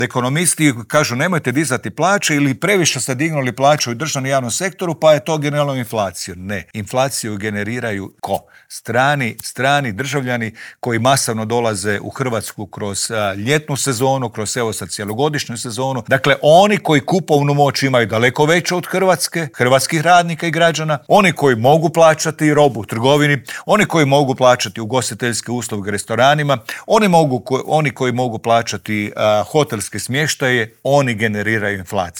Ekonomisti kažu nemojte dizati plaće ili previše ste dignuli plaću u državnom i javnom sektoru pa je to generiralo inflaciju. Ne, inflaciju generiraju ko? Strani državljani koji masovno dolaze u Hrvatsku kroz ljetnu sezonu, kroz evo sad cjelogodišnju sezonu. Dakle, oni koji kupovnu moć imaju daleko veću od hrvatskih radnika i građana, oni koji mogu plaćati robu u trgovini, oni koji mogu plaćati ugostiteljske usluge restoranima, oni koji mogu plaćati hotelske smještaje, oni generiraju inflaciju.